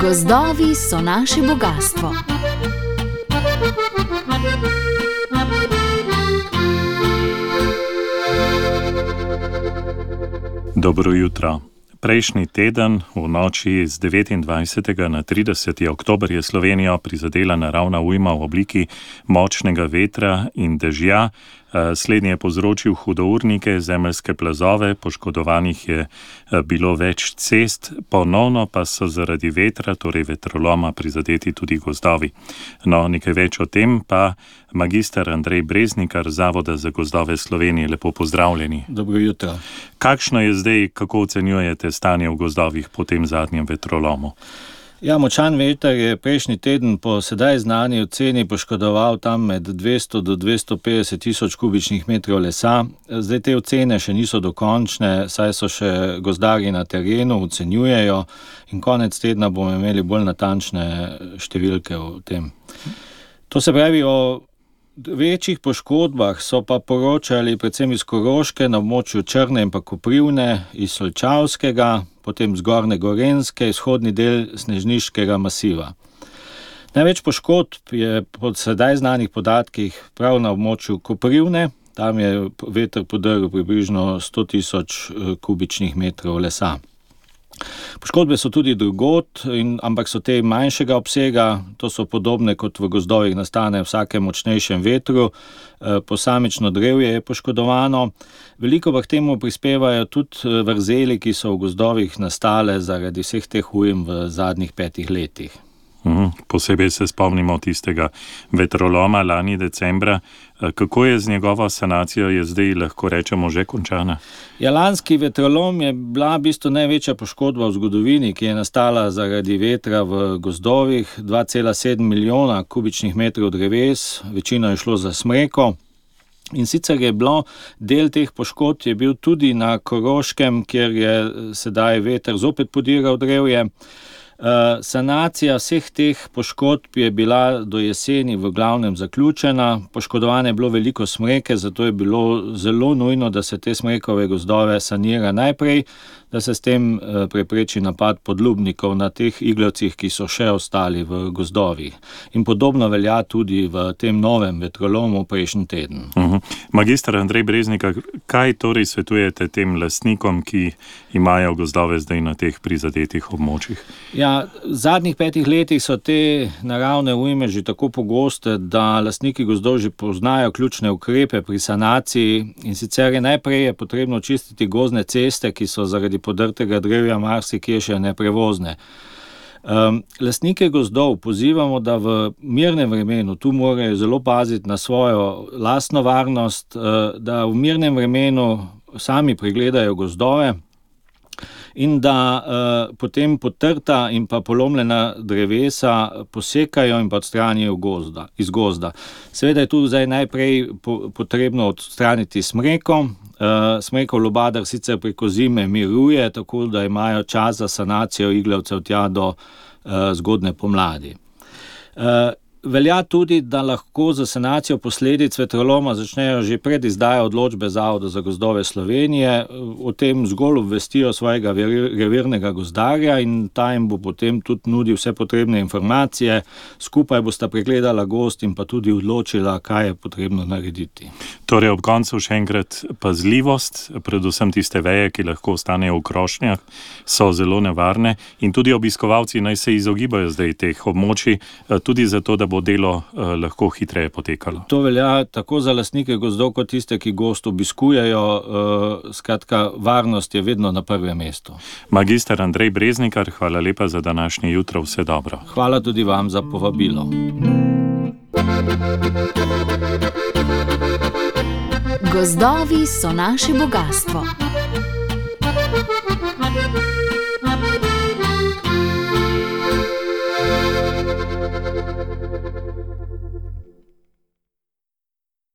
Gozdovi so naše bogastvo. Dobro jutro. Prejšnji teden, v noči z 29. na 30. oktober, je Slovenijo prizadela naravna ujma v obliki močnega vetra in dežja. Slednji je povzročil hudournike, zemeljske plazove, poškodovanih je bilo več cest, ponovno pa so zaradi vetra, torej vetroloma, prizadeti tudi gozdovi. No, nekaj več o tem pa magister Andrej Breznikar, Zavoda za gozdove Slovenije. Lepo pozdravljeni. Dobro jutro. Kakšno je zdaj, kako ocenjujete stanje v gozdovih po tem zadnjem vetrolomu? Ja, močan veter je prejšnji teden po sedaj znani oceni poškodoval tam med 200 do 250 tisoč kubičnih metrov lesa. Zdaj te ocene še niso dokončne, saj so še gozdarji na terenu, ocenjujejo in konec tedna bomo imeli bolj natančne številke o tem. To se pravi, o večjih poškodbah so pa poročali predvsem iz Koroške, na območju Črne in pa Koprivne, iz Solčavskega, potem zgornje Gorenjske, izhodni del Snežniškega masiva. Največ poškodb je po sedaj znanih podatkih prav na območju Koprivne, tam je veter podrl približno 100 tisoč kubičnih metrov lesa. Poškodbe so tudi drugod, ampak so te manjšega obsega, to so podobne kot v gozdovih nastane vsakem močnejšem vetru, posamično drevje je poškodovano. Veliko pa k temu prispevajo tudi vrzeli, ki so v gozdovih nastale zaradi vseh teh ujm v zadnjih 5 letih. Posebej se spomnimo tistega vetroloma lani decembra. Kako je z njegovo sanacijo, je zdaj lahko rečemo že končana? Ja, lanski vetrolom je bila v bistvu največja poškodba v zgodovini, ki je nastala zaradi vetra v gozdovih. 2,7 milijona kubičnih metrov dreves, večino je šlo za smreko. In sicer je bilo del teh poškodb je bil tudi na Koroškem, kjer je sedaj veter zopet podiral drevje. Sanacija vseh teh poškodb je bila do jeseni v glavnem zaključena. Poškodovane je bilo veliko smreke, zato je bilo zelo nujno, da se te smrekove gozdove sanira najprej, da se s tem prepreči napad podlubnikov na teh iglavcih, ki so še ostali v gozdovih. In podobno velja tudi v tem novem vetrolomu prejšnji teden. Magister Andrej Breznikar, kaj torej svetujete tem lastnikom, ki imajo gozdove zdaj na teh prizadetih območjih? Ja, v zadnjih 5 letih so te naravne ujme že tako pogoste, da lastniki gozdov že poznajo ključne ukrepe pri sanaciji, in sicer je najprej potrebno čistiti gozdne ceste, ki so zaradi podrtega drevja marsikje še neprevozne. Lastnike gozdov pozivamo, da v mirnem vremenu, tu morajo zelo paziti na svojo lastno varnost, da v mirnem vremenu sami pregledajo gozdove in da potem potrta in pa polomljena drevesa posekajo in pa odstranijo iz gozda. Seveda je tu zdaj najprej potrebno odstraniti smreko. Smrekov lubadar sicer preko zime miruje, tako da imajo čas za sanacijo iglavcev tja do zgodne pomladi. Velja tudi, da lahko za sanacijo posledic vetroloma začnejo že pred izdajo odločbe Zavoda za gozdove Slovenije. O tem zgolj obvestijo svojega revirnega gozdarja in ta jim bo potem tudi nudil vse potrebne informacije. Skupaj bosta pregledala gozd in pa tudi odločila, kaj je potrebno narediti. Torej ob koncu še enkrat pazljivost, predvsem tiste veje, ki lahko ostanejo v krošnjah, so zelo nevarne, in tudi obiskovalci naj se izogibajo zdaj teh območij, tudi zato, da bo delo lahko hitreje potekalo. To velja tako za lastnike gozdov kot tiste, ki gozd obiskujejo. Skratka, varnost je vedno na prvem mestu. Magister Andrej Breznikar, hvala lepa za današnje jutro, vse dobro. Hvala tudi vam za povabilo. Gozdovi so naše bogastvo.